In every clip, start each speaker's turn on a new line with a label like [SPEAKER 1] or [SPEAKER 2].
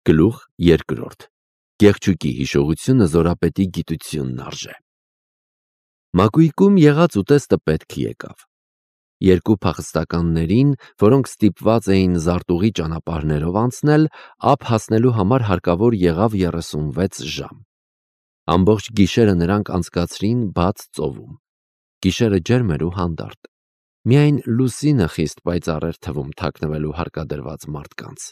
[SPEAKER 1] Գլուխ երկրորդ. Կեղճուկի հիշողությունը զորապետի գիտությունն արժե։ Մակույկում եղած ուտեստը պետք եկավ։ Երկու փախստականներին, որոնք ստիպված էին զարտուղի ճանապարհներով անցնել, ափ հասնելու համար հարկավոր եղավ 36 ժամ։ Ամբողջ գիշերը նրանք անցկացրին բաց ծովում։ Գիշերը ջերմ էր ու հանդարտ։ Միայն լուսինը խիստ պայծառ էր թվում թաքնվելու հարկադրված մարդկանց։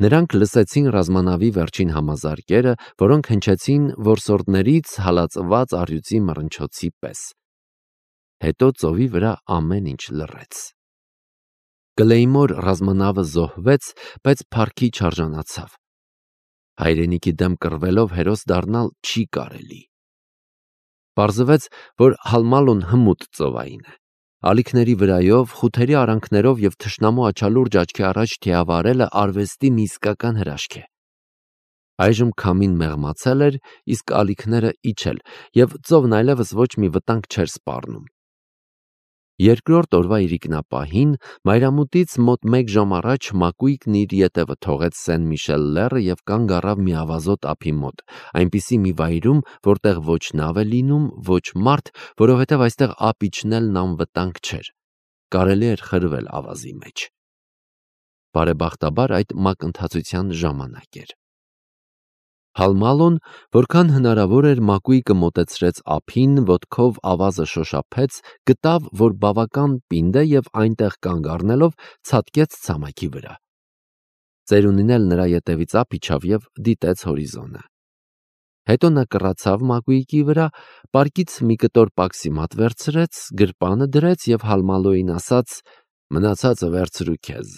[SPEAKER 1] Նրանք լսեցին ռազմանավի վերջին համազարկերը, որոնք հնչեցին որսորդներից հալածված առյուծի մռնչոցի պես։ Հետո ծովի վրա ամեն ինչ լռեց։ Կլեյմոր ռազմանավը զոհվեց, բայց փառքի չարժանացավ։ Հայրենիքի դեմ կռվելով հերոս դառնալ չի կարելի։ Պարզվեց, որ Հալմալոն հմուտ ծովային է։ Ալիքների վրայով, խութերի արանքներով և թշնամու աչալուրջ աչքի առաջ թիավարելը արվեստի մի իսկական հրաշք է։ Այժմ քամին մեղմացել էր, իսկ ալիքները իջել, և ծովն այլևս ոչ մի վտանգ չէր սպառնում։ Երկրորդ օրվա իրիկնապահին մայրամուտից մոտ 1 ժամ առաջ մակույկն իր ետևը թողեց Սեն Միշել լեռը և կանգ առավ մի ավազոտ ափի մոտ, այնպիսի մի վայրում, որտեղ ոչ նավ է լինում, ոչ մարդ, որովհետև այստեղ ափ իջնելն անվտանգ չէր։ Կարելի էր խրվել ավազի մեջ։ Բարեբախտաբար այդ մակընթացության ժամանակ էր։ Հալմալոն, որքան հնարավոր էր մակույկը մոտեցրեց ափին, ոտքով ավազը շոշափեց, գտավ, որ բավական պինդ է և այնտեղ կանգ առնելով ցատկեց ցամաքի վրա։ Ծերունին էլ նրա ետևից ափ իջավ և դիտեց հորիզոնը։ Հետո նա կռացավ մակույկի վրա, պարկից մի կտոր պաքսիմատ վերցրեց, գրպանը դրեց և Հալմալոյին ասաց. «Մնացածը վերցրու քեզ»։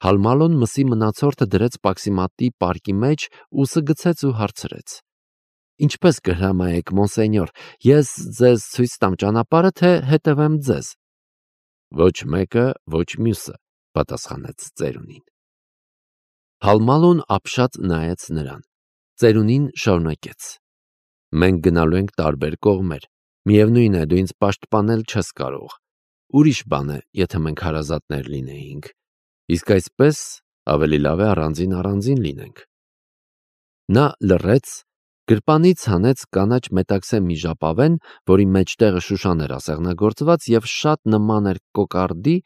[SPEAKER 1] Հալմալոն մսի մնացորդը դրեց պաքսիմատի պարկի մեջ, ուսը գցեց ու հարցրեց. «Ինչպես կհրամայեք, մոնսենյոր, ես ձեզ ցույց տամ ճանապարհը, թե հետևեմ ձեզ»։ «Ոչ մեկը, ոչ մյուսը», պատասխանեց ծերունին։ Հալմալոն ապշած նայեց նրան։ Ծերունին շարունակեց. «Մենք գնալու ենք տարբեր կողմեր։ Միևնույն է, դու ինձ պաշտպանել չես կարող։ Ուրիշ բան է, եթե մենք հարազատներ լինեինք։ Իսկ այսպես ավելի լավ է առանձին լինենք»։ Նա լռեց, գրպանից հանեց կանաչ մետաքսե մի ժապավեն, որի մեջտեղը շուշան էր ասեղնագործված և շատ նման էր կոկարդի,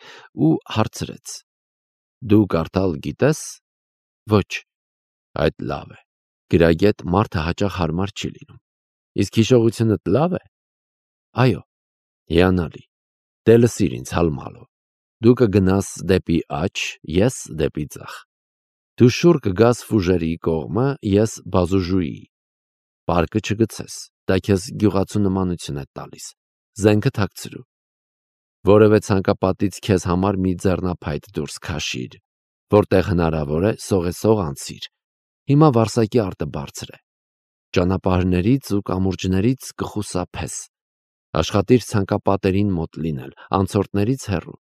[SPEAKER 1] ու հարցրեց. «Դու կարդալ գիտես»։ «Ոչ»։ «Այդ լավ է։ Գրագետ մարդը հաճախ հարմար չի լինում։ Իսկ հիշողությունդ լավ է»։ «Այո»։ «Հիանալի։ Դե լսիր ինձ, Հալմալո։ Դու կգնաս դեպի աջ, ես դեպի ձախ։ Դու շուռ կգաս Ֆուժերի կողմը, ես Բազուժուի։ Պարկը չգցես, դա քեզ գյուղացու նմանություն է տալիս։ Զենքը թաքցրու։ Որևէ ցանկապատից քեզ համար մի ձեռնափայտ դուրս քաշիր։ Որտեղ հնարավոր է, սողեսող անցիր։ Հիմա Վարսակի արտը բարձր է։ Ճանապարհներից ու կամուրջներից կխուսափես։ Աշխատիր ցանկապատերին մոտ լինել, անցորդներից հեռու։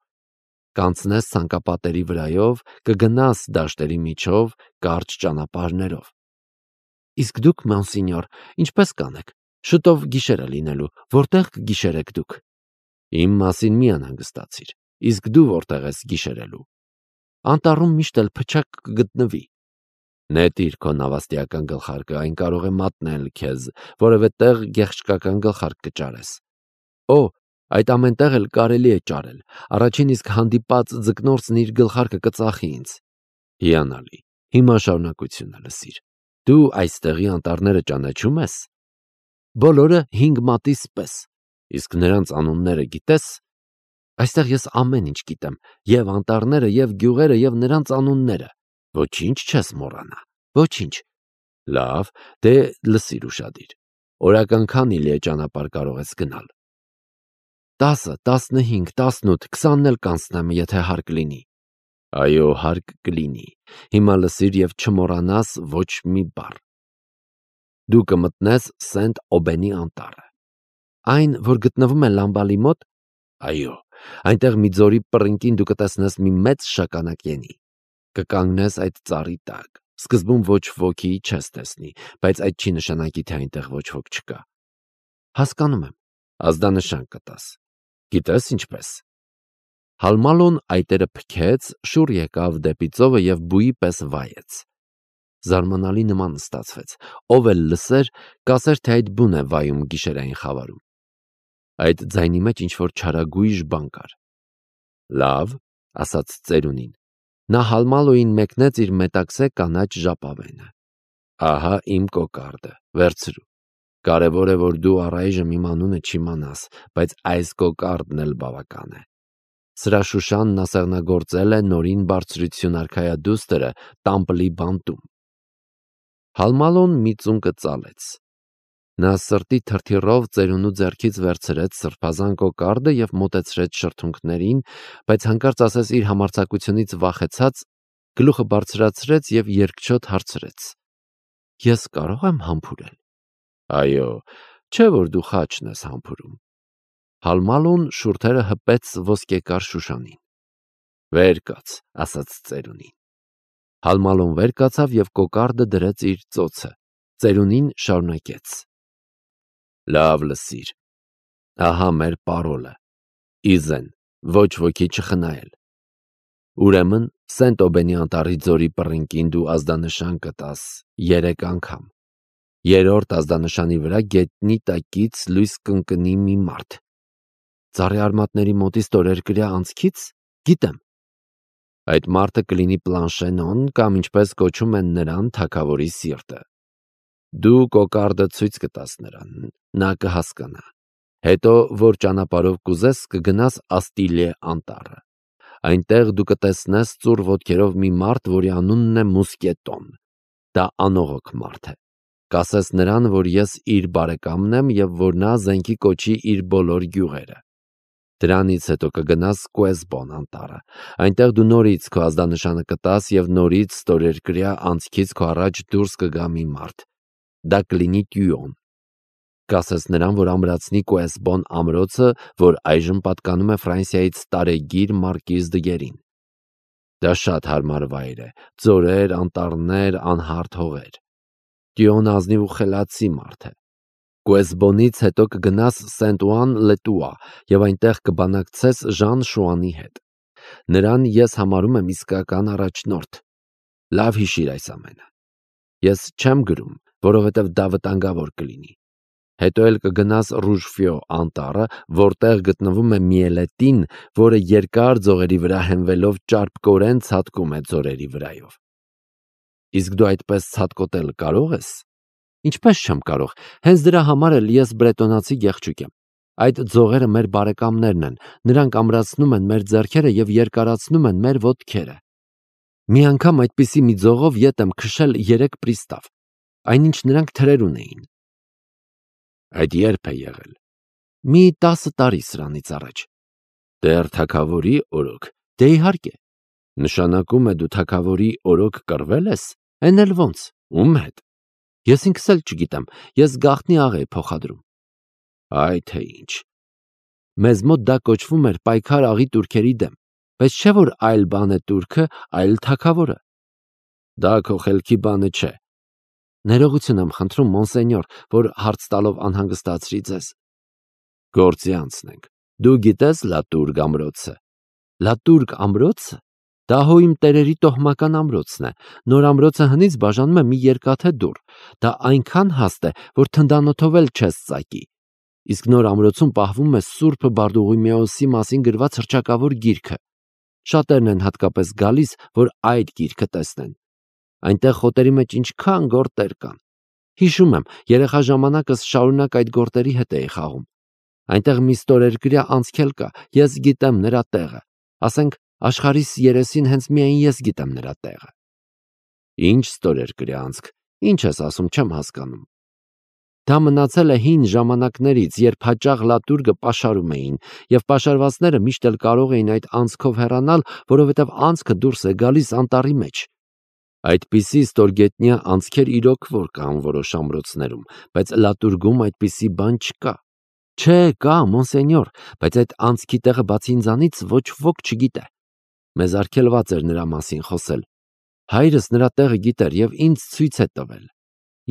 [SPEAKER 1] Կանցնես ցանկապատերի վրայով, կգնաս դաշտերի միջով, կարճ ճանապարհներով։ Իսկ դուք, մոնսենյոր, ինչպես կանեք։ Շուտով գիշեր է լինելու, որտեղ կգիշերեք դուք։ Իմ մասին մի անհանգստացիր, իսկ դու որտեղ ես գիշերելու։ Անտառում միշտ էլ փչակ կգտնվի։ Նետիր քո նավաստիական գլխարկը, այն կարող է մատնել քեզ, որևէ տեղ գեղչկական գլխարկ կճարես։ Օ, այդ ամեն տեղ էլ կարելի է ճարել։ Առաջին իսկ հանդիպած ձկնորսն իր գլխարկը կծախի ինձ։ Հիանալի։ Հիմա շարունակությունը լսիր։ Դու այստեղի անտառները ճանաչում ես։ Բոլորը 5 մատիս պես։ Իսկ նրանց անունները գիտես։ Այստեղ ես ամեն ինչ գիտեմ, և անտառները, և գյուղերը, և նրանց անունները։ Ոչինչ չես մոռանա։ Ոչինչ։ Լավ, դե լսիր ուշադիր։ Օրական քանի՞ լի է ճանապարհ կարող ես գնալ։ 10, 15, 18, 20-ն էլ կանցնեմ, եթե հարկ լինի։ Այո, հարկ կլինի։ Հիմա լսիր և չմոռանաս ոչ մի բառ։ Դու կմտնես Սենտ Օբենի անտառը։ Այն, որ գտնվում է Լամբալի մոտ։ Այո, այնտեղ մի ձորի պռնկին դու կտեսնես մի մեծ շագանակենի։ Կկանգնես այդ ծառի տակ։ Սկզբում ոչ ոքի չես տեսնի, բայց այդ չի նշանակի, թե այնտեղ ոչ ոք չկա։ Հասկանում եմ։ Ազդանշան կտաս։ Գիտես ինչպես։ Հալմալոն այտերը փքեց, շուռ եկավ դեպի ծովը և բույի պես վայեց։ Զարմանալի նման ստացվեց, ով էլ լսեր, կասեր, թե այդ բուն է վայում գիշերային խավարում։ Այդ ձայնի մեջ ինչ-որ չարագույժ բան կար։ Լավ, ասաց ծերունին։ Նա Հալմալոյին մեկնեց իր մետաքսե կանաչ ժապավենը։ Ահա իմ կոկարդը, վերցրու։ Կարևոր է, որ դու առայժմ իմ անունը չիմանաս, բայց այս կոկարդն էլ բավական է։ Սրա շուշանն ասեղնագործել է նորին բարձրություն արքայադուստրը Տամպլի բանտում։ Հալմալոն մի ծունկը ծալեց։ Նա սրտի թրթիռով ծերունու ձեռքից վերցրեց սրբազան կոկարդը և մոտեցրեց շրթունքներին, բայց հանկարծ ասես իր համարձակությունից վախեցած, գլուխը բարձրացրեց և երկչոտ հարցրեց. Ես կարո՞ղ եմ համբուրել։ Այո, չէ՞ որ դու խաչն ես համբուրում։ Հալմալոն շուրթերը հպեց ոսկեկար շուշանին։ Վեր կաց, ասաց ծերունին։ Հալմալոն վեր կացավ և կոկարդը դրեց իր ծոցը։ Ծերունին շարունակեց. Լավ լսիր։ Ահա մեր պարոլը։ Իզեն, ոչ ոքի չխնայել։ Ուրեմն Սենտ Օբենի անտառի ձորի պռինկին դու ազդանշան կտաս 3 անգամ։ Երրորդ ազդանշանի վրա գետնի տակից լույս կընկնի մի մարդ։ Ծառի արմատների մոտից ստորերկրյա անցքից, գիտեմ։ Այդ մարդը կլինի Պլանշենոն կամ ինչպես կոչում են նրան թագավորի սիրտը։ Դու կոկարդը ցույց կտաս նրան, նա կհասկանա։ Հետո, որ ճանապարհով կուզես, կգնաս Աստիլիե անտառը։ Այնտեղ դու կտեսնես ծուռ ոտքերով մի մարդ, որի անունն է Մուսկետոն։ Դա անողոք մարդ է։ Կասես նրան, որ ես իր բարեկամն եմ և որ նա զենքի կոչի իր բոլոր գյուղերը։ Դրանից հետո կգնաս Կուեզբոն անտառը։ Այնտեղ դու նորից քո ազդանշանը կտաս և նորից ստորերկրյա անցքից քո առաջ դուրս կգա մի մարդ։ Դա կլինի Տյուոն։ Կասես նրան, որ ամրացնի Կուեզբոն ամրոցը, որ այժմ պատկանում է Ֆրանսիայից տարեգիր Մարկիզ դը Գերին։ Դա շատ հարմար վայր է, ձորեր, անտառներ, անհարթ հողեր։ Տյուոն ազնիվ ու խելացի մարդ է։ Կուեզբոնից հետո կգնաս Սենտ-Օան-Լետուա և այնտեղ կբանակցես Ժան Շուանի հետ։ Նրան ես համարում եմ իսկական առաջնորդ։ Լավ հիշիր այս ամենը։ Ես չեմ գրում, որովհետև դա վտանգավոր կլինի։ Հետո էլ կգնաս Ռուժֆյո անտառը, որտեղ գտնվում է Միելետին, որը երկար ձողերի վրա հենվելով ճարպկորեն ցատկում է ձորերի վրայով։ Իսկ դու այդպես ցատկոտել կարող ես։ Ինչպես չեմ կարող, հենց դրա համար էլ ես բրետոնացի գեղչուկ եմ։ Այդ ձողերը մեր բարեկամներն են, նրանք ամրացնում են մեր ձեռքերը և երկարացնում են մեր ոտքերը։ Մի անգամ այդպիսի մի ձողով ետ եմ քշել 3 պրիստավ, այնինչ նրանք թրեր ունեին։ Այդ երբ է եղել։ Մի 10 տարի սրանից առաջ։ Դեռ թագավորի օրոք։ Դե իհարկե։ Նշանակում է դու թագավորի օրոք կռվել ես։ Էն էլ ոնց, ում հետ։ Ես ինքս էլ չգիտեմ, ես գաղտնի աղ էի փոխադրում։ Այ թե ինչ։ Մեզ մոտ դա կոչվում էր պայքար աղի տուրքերի դեմ, բայց չէ որ այլ բան է տուրքը, այլ թագավորը։ Դա քո խելքի բանը չէ։ Ներողություն եմ խնդրում, մոնսենյոր, որ հարց տալով անհանգստացրի ձեզ։ Գործի անցնենք։ Դու գիտես Լատուրգ ամրոցը։ Լատուրգ ամրոցը։ Դա հո իմ տերերի տոհմական ամրոցն է։ Նոր ամրոցը հնից բաժանում է մի երկաթե դուռ։ Դա այնքան հաստ է, որ թնդանոթով էլ չես ծակի։ Իսկ նոր ամրոցում պահվում է Սուրբ Բարդուղիմեոսի մասին գրված հռչակավոր գիրքը։ Շատերն են հատկապես գալիս, որ այդ գիրքը տեսնեն։ Այնտեղ խոտերի մեջ ինչքան գորտեր կան։ Հիշում եմ, երեխա ժամանակս շարունակ այդ գորտերի հետ էի խաղում։ Այնտեղ մի ստորերկրյա անցքել կա, ես գիտեմ նրա տեղը։ Ասենք, աշխարհիս երեսին հենց միայն ես գիտեմ նրա տեղը։ Ինչ ստորերկրյա անցք, ինչ ես ասում, չեմ հասկանում։ Դա մնացել է հին ժամանակներից, երբ հաճախ Լատուրգը պաշարում էին, և պաշարվածները միշտ էլ կարող էին այդ անցքով հեռանալ, որովհետև անցքը դուրս է գալիս անտառի մեջ։ Այդպիսի ստորգետնյա անցքեր իրոք որ կան որոշ ամրոցներում, բայց Լատուրգում այդպիսի բան չկա։ Չէ, կա, մոնսենյոր, բայց այդ անցքի տեղը բացի ինձանից ոչ ոք չգիտե։ Մեզ արգելված էր նրա մասին խոսել։ Հայրս նրա տեղը գիտեր և ինձ ցույց է տվել։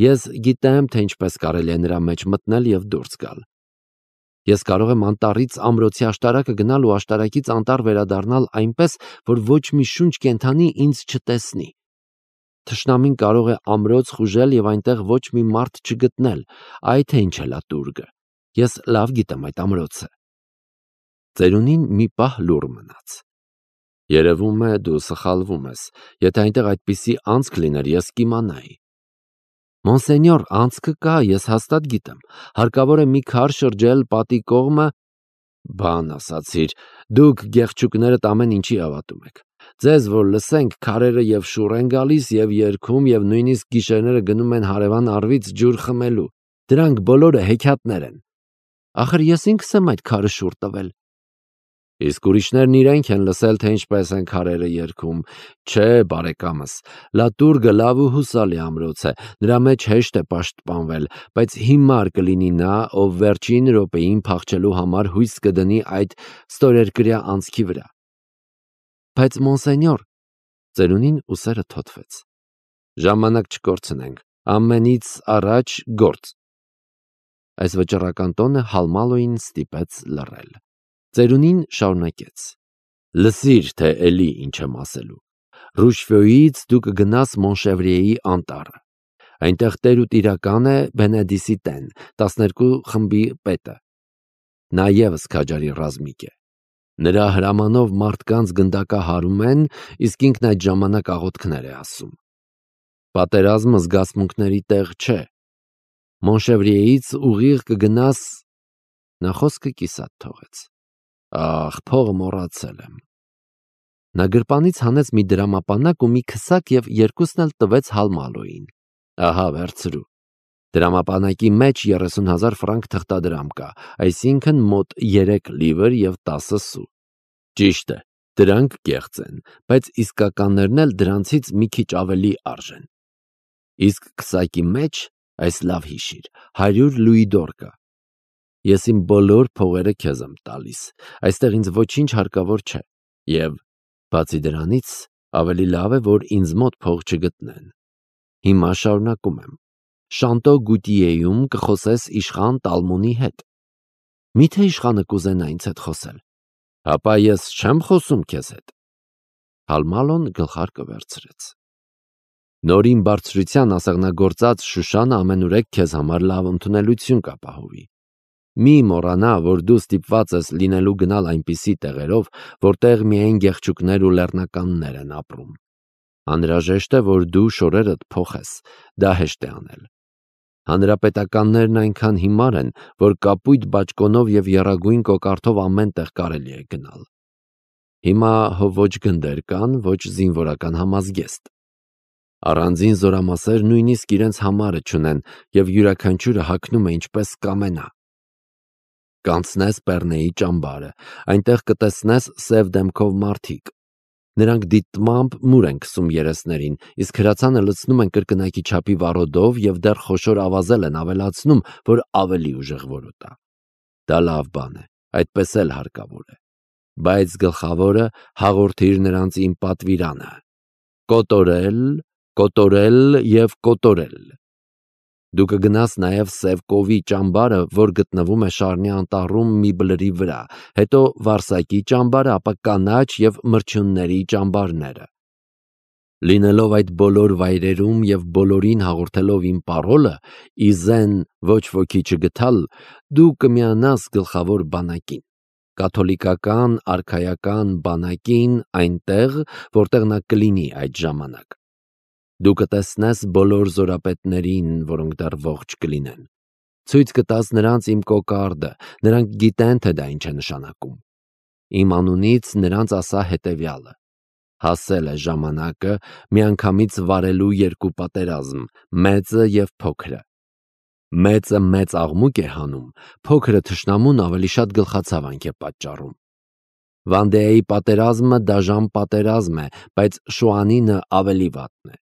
[SPEAKER 1] Ես գիտեմ, թե ինչպես կարելի է նրա մեջ մտնել և դուրս գալ։ Ես կարող եմ անտառից ամրոցի աշտարակը գնալ ու աշտարակից անտառ վերադառնալ այնպես, որ ոչ մի շունչ կենդանի ինձ չտեսնի։ Թշնամին կարող է ամրոց խուժել և այնտեղ ոչ մի մարդ չգտնել, այ թե ինչ է լատուրգը։ Ես լավ գիտեմ այդ ամրոցը։ Ծերունին մի պահ լուռ մնաց։ Երևում է դու սխալվում ես, եթե այնտեղ այդպիսի անցք լիներ, ես կիմանայի։ Մոնսենյոր, անցքը կա, ես հաստատ գիտեմ, հարկավոր է մի քար շրջել պատի կողմը։ Բան ասացիր, դուք գեղչուկներդ ամեն ինչի հավատում եք։ Ձեզ որ լսենք, քարերը և շուռ են գալիս և երգում և նույնիսկ գիշերները գնում են հարևան առվից ջուր խմելու։ Դրանք բոլորը հեքիաթներ են։ Ախր ես ինքս եմ այդ քարը շուռ տվել։ Իսկ ուրիշներն իրենք են լսել, թե ինչպես են քարերը երգում։ Չէ, բարեկամս, լատուրգը լավ ու հուսալի ամրոց է, նրա մեջ հեշտ է պաշտպանվել, բայց հիմար կլինի նա, ով վերջին րոպեին փախչելու համար հույս կդնի այդ ստորերկրյա անցքի վրա։ Բայց մոնսենյոր, ծերունին ուսերը թոթվեց։ Ժամանակ չկորցնենք, ամենից առաջ գործ։ Այս վճռական տոնը Հալմալոին ստիպեց լռել։ Ծերունին շարունակեց. Լսիր, թե էլի ինչ եմ ասելու։ Ռուշվոյից դու կգնաս Մոնշևրիեի անտառը։ Այնտեղ տեր ու տիրական է Բենեդիսիտեն, 12 խմբի պետը։ Նա ևս քաջարի ռազմիկ է։ Նրա հրամանով մարդկանց գնդակահարում են, իսկ ինքն այդ ժամանակ աղոթքներ է ասում։ Պատերազմը զգացմունքների տեղ չէ։ Մոնշևրիեից ուղիղ կգնաս։ Նա խոսքը կիսատ թողեց։ Ախ, փողը մոռացել եմ։ Նա գրպանից հանեց մի դրամապանակ ու մի քսակ և երկուսն էլ տվեց Հալմալոյին։ Ահա, վերցրու։ Դրամապանակի մեջ 30,000 ֆրանկ թղթադրամ կա, այսինքն մոտ 3 լիվր և 10 սու։ Ճիշտ է, դրանք կեղծ են, բայց իսկականներն էլ դրանցից մի քիչ ավելի արժեն։ Իսկ քսակի մեջ, այս լավ հիշիր, 100 լուիդոր կա։ Ես իմ բոլոր փողերը քեզ եմ տալիս, այստեղ ինձ ոչինչ հարկավոր չէ, և բացի դրանից ավելի լավ է, որ ինձ մոտ փող չգտնեն։ Հիմա շարունակում եմ։ Շանտո Գուտիեում կխոսես իշխան Տալմոնի հետ։ Միթե իշխանը կուզենա ինձ հետ խոսել։ Հապա ես չեմ խոսում քեզ հետ։ Հալմալոն գլխարկը վերցրեց։ Նորին բարձրության ասեղնագործած Շուշանը ամենուրեք քեզ համար լավ ընդունելություն կապահովի։ Մի մոռանա, որ դու ստիպված ես լինելու գնալ այնպիսի տեղերով, որտեղ միայն գեղչուկներ ու լեռնականներ են ապրում։ Անհրաժեշտ է, որ դու շորերդ փոխես, դա հեշտ է անել։ Հանրապետականներն այնքան հիմար են, որ կապույտ բաճկոնով և եռագույն կոկարդով ամեն տեղ կարելի է գնալ։ Հիմա ոչ գնդեր կան, ոչ զինվորական համազգեստ։ Առանձին զորամասեր նույնիսկ իրենց համարը չունեն և յուրաքանչյուրը հագնում է ինչպես կամենա։ Կանցնես Պեռնեի ճամբարը, այնտեղ կտեսնես սև դեմքով մարդիկ։ Նրանք դիտմամբ մուր են քսում երեսներին, իսկ հրացանը լցնում են կրկնակի չափի վառոդով և դեռ խոշոր ավազել են ավելացնում, որ ավելի ուժեղ որոտա։ Դա լավ բան է, այդպես էլ հարկավոր է։ Բայց գլխավորը հաղորդիր նրանց իմ պատվիրանը. կոտորել, կոտորել և կոտորել։ Դու կգնաս նաև Սևկովի ճամբարը, որ գտնվում է Շարնի անտառում մի բլրի վրա, հետո Վարսակի ճամբարը, ապա կանաչ և մրջյունների ճամբարները։ Լինելով այդ բոլոր վայրերում և բոլորին հաղորդելով իմ պարոլը՝ իզեն ոչ ոքի չգթալ, դու կմիանաս գլխավոր բանակին, կաթոլիկական արքայական բանակին այնտեղ, որտեղ նա կլինի այդ ժամանակ։ Դու կտեսնես բոլոր զորապետներին, որոնք դեռ ողջ կլինեն։ Ցույց կտաս նրանց իմ կոկարդը, նրանք գիտեն, թե դա ինչ է նշանակում։ Իմ անունից նրանց ասա հետևյալը. հասել է ժամանակը միանգամից վարելու երկու պատերազմ, մեծը և փոքրը։ Մեծը մեծ աղմուկ է հանում, փոքրը թշնամուն ավելի շատ գլխացավանք է պատճառում։ Վանդեայի պատերազմը դաժան պատերազմ է, բայց Շուանինը ավելի վատն է։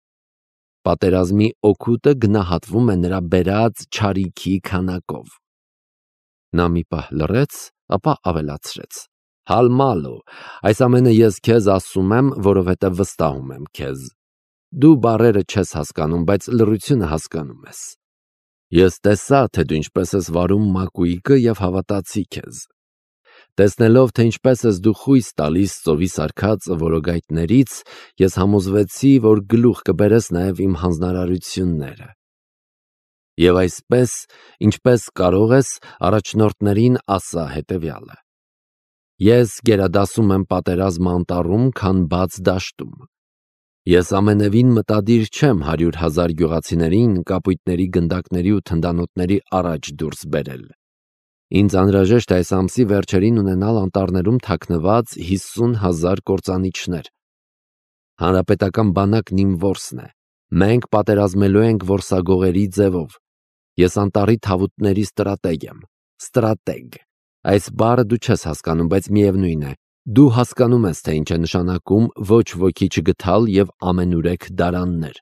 [SPEAKER 1] Պատերազմի օգուտը գնահատվում է նրա բերած չարիքի քանակով։ Նա մի պահ լռեց, ապա ավելացրեց. Հալմալո, այս ամենը ես քեզ ասում եմ, որովհետև վստահում եմ քեզ։ Դու բառերը չես հասկանում, բայց լռությունը հասկանում ես։ Ես տեսա, թե դու ինչպես ես վարում մակույկը և հավատացի քեզ։ Տեսնելով, թե ինչպես ես դու խույս տալիս ծովի սարքած որոգայթներից, ես համոզվեցի, որ գլուխ կբերես նաև իմ հանձնարարությունները։ Եվ այսպես, ինչպես կարող ես, առաջնորդներին ասա հետևյալը. ես գերադասում եմ պատերազմ անտառում, քան բաց դաշտում։ Ես ամենևին մտադիր չեմ 100,000 գյուղացիներին կապույտների գնդակների ու թնդանոթների առաջ դուրս բերել։ Ինձ անհրաժեշտ է այս ամսի վերջերին ունենալ անտառներում թաքնված 50,000 կործանիչներ։ Հանրապետական բանակն իմ որսն է։ Մենք պատերազմելու ենք որսագողերի ձևով։ Ես անտառի թավուտների ստրատեգ եմ։ Ստրատեգ։ Այս բառը դու չես հասկանում, բայց միևնույն է, դու հասկանում ես, թե ինչ է նշանակում ոչ ոքի չգթալ և ամենուրեք դարաններ։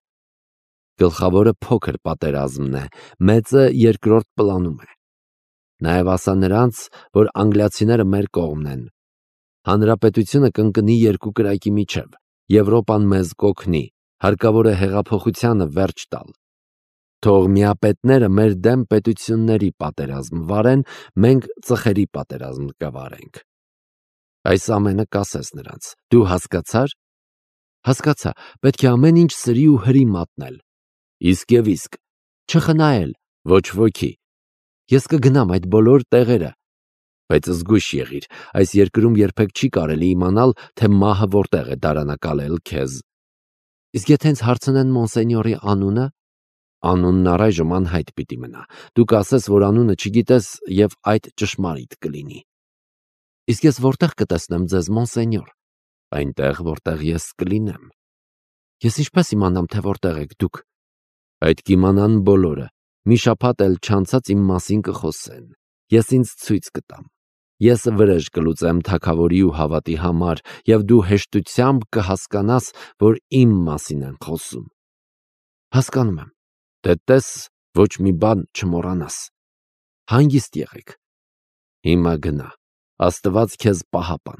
[SPEAKER 1] Գլխավորը փոքր պատերազմն է, մեծը երկրորդ պլանում է։ Նաև ասա նրանց, որ անգլիացիները մեր կողմն են։ Հանրապետությունը կընկնի երկու կրակի միջև, Եվրոպան մեզ կօգնի, հարկավոր է հեղափոխությանը վերջ տալ։ Թող միապետները մեր դեմ պետությունների պատերազմ վարեն, մենք ծխերի պատերազմ կվարենք։ Այս ամենը կասես նրանց։ Դու հասկացա՞ր։ Հասկացա, պետք է ամեն ինչ սրի ու հրի մատնել։ Իսկ և իսկ, չխնայել, ոչ ոքի։ Ես կգնամ այդ բոլոր տեղերը, բայց զգույշ եղիր, այս երկրում երբեք չի կարելի իմանալ, թե մահը որտեղ է դարանակալել քեզ։ Իսկ եթե ինձ հարցնեն մոնսենյորի անունը, անունն առայժմ անհայտ պիտի մնա։ Դու կասես, որ անունը չգիտես և այդ ճշմարիտ կլինի։ Իսկ ես որտեղ կտեսնեմ ձեզ, մոնսենյոր։ Այնտեղ, որտեղ ես կլինեմ։ Ես ինչպես իմանամ, թե որտեղ եք դուք։ Այդ կիմանան բոլորը։ Մի շաբաթ էլ չանցած իմ մասին կխոսեն։ Ես ինձ ցույց կտամ։ Ես վրեժ կլուծեմ թագավորի ու հավատի համար, և դու հեշտությամբ կհասկանաս, որ իմ մասին են խոսում։ Հասկանում եմ։ Դե տես, ոչ մի բան չմոռանաս։ Հանգիստ եղեք։ Հիմա գնա։ Աստված քեզ պահապան։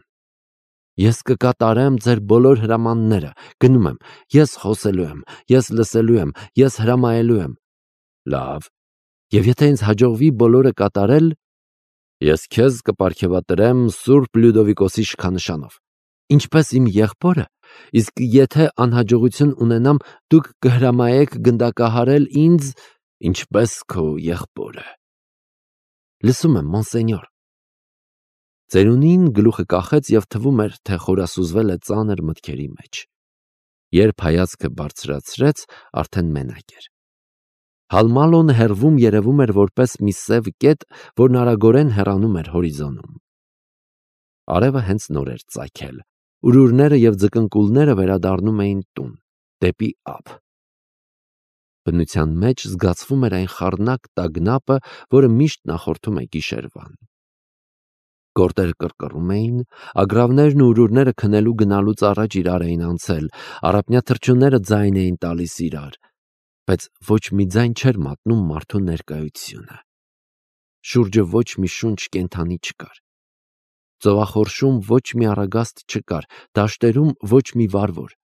[SPEAKER 1] Ես կկատարեմ ձեր բոլոր հրամանները։ Գնում եմ։ Ես խոսելու եմ, ես լսելու եմ, ես հրամայելու եմ։ Լավ։ Եվ եթե ինձ հաջողվի բոլորը կատարել, ես քեզ կպարգևատրեմ Սուրբ Լյուդովիկոսի շքանշանով, ինչպես իմ եղբորը, իսկ եթե անհաջողություն ունենամ, դուք կհրամայեք գնդակահարել ինձ, ինչպես քո եղբորը։ Լսում եմ, մոնսենյոր։ Ծերունին գլուխը կախեց և թվում էր, թե խորասուզվել է ծանր մտքերի մեջ։ Երբ հայացքը բարձրացրեց, արդեն մենակ էր։ Հալմալոն հեռվում երևում էր որպես մի սև կետ, որն արագորեն հեռանում էր հորիզոնում։ Արևը հենց նոր էր ծագել։ Ուրուրները և ձկնկուլները վերադառնում էին տուն, դեպի ափ։ Բնության մեջ զգացվում էր այն խառնակ տագնապը, որը միշտ նախորդում է գիշերվան։ Գորտերը կռկռում էին, ագռավներն ու ուրուրները քնելու գնալուց առաջ իրար էին անցել, առափնյա թռչունները ձայն էին տալիս իրար, բայց ոչ մի ձայն չէր մատնում մարդու ներկայությունը։ Շուրջը ոչ մի շունչ կենդանի չկար։ Ծովախորշում ոչ մի առագաստ չկար, դաշտերում ոչ մի վարվոր։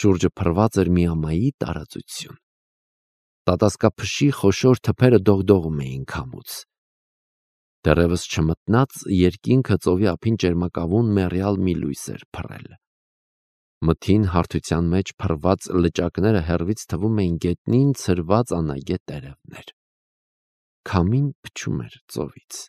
[SPEAKER 1] Շուրջը փռված էր մի ամայի տարածություն։ Տատասկափշի խոշոր թփերը դողդողում էին քամուց։ Դեռևս չմտնած երկինքը ծովի ափին ճերմակավուն մեռյալ մի լույս էր փռել։ Մթին հարթության մեջ փռված լճակները հեռվից թվում էին գետնին ցրված անագետ տերևներ։ Քամին փչում էր ծովից։